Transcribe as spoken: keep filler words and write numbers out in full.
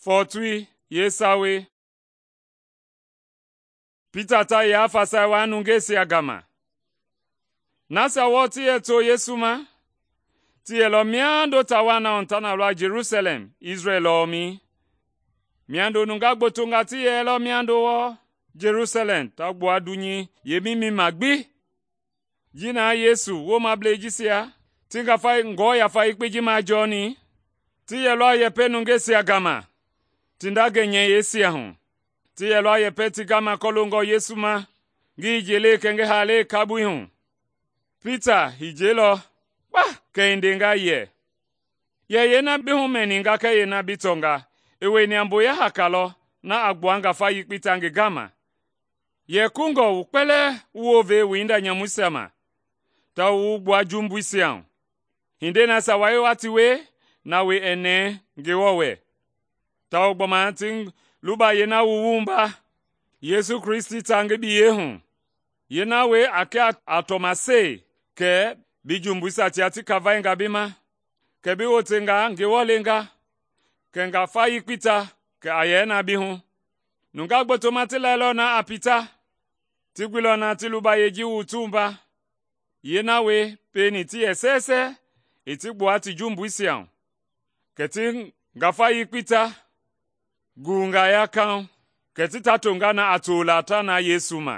Fɔɔtoi yeesawei. Pita ta yaa fasai waa nungeisia gama. Nasia wɔɔ ti yɛ to Yesu ma, ti yɛlɔ miando taa na hu ta na lɔ Jelusalɛm, Isrɛl lɔɔmɛi. Miando nungaa gbotonga ti yɛlɔ miando wɔɔ Jelusalɛm ta gbua dunyei yeemimɛi ma gbi. Ji na Yesu woomableisia jisia ti ngafa Ngewɔ Yafa Yekpei ji majɔɔni, ti yɛlɔ a yɛpɛ nungeisia gama ti nda gɛnyɛyɛisia hu. Ti yɛlɔ a yɛpɛ ti gama kɔloongɔ Yesu ma, ngi hijelei kɛɛ ngi haalei kabui hu. Pita hijelɔ kpa kɛ i ndenga yɛ, “Yɛ yeena bi humɛninga kɛɛ yeena bi tɔnga, i wieni a mboya haka lɔ na a gbua ngafa yekpei ta ngi gama. Yɛ kungɔ wu kpɛlɛɛ wu wounve wu hinda nyamuisia ma, tawao wu wu gbua jumbuisia hu. Hindei nasia wa yɛ wa ti wie, na wie ɛɛ nɛɛ Ngewɔ wɛ, tawao gbɔma ti luba yeena wu wumba Yesu Kristi ta ngi biyei hu. Yeena wie a kɛ a tɔmasei kɛ bi jumbuisia tia ti kavainga bi ma, kɛ bi wotenga Ngewɔ lenga, kɛ ngafa yekpei ta kɛ a yɛ na bi hu. Nungaa gbotoma ti lailɔ na a Pita, ti guilɔ na ti lubayei ji wu ti wumba. Yeena wie pieni ti yɛ sɛɛsɛ i ti gbua ti jumbuisia hu, kɛ ti ngafa yekpei ta guwunga ya kauŋ, kɛ ti ta tonga na a tola ta na Yesu ma.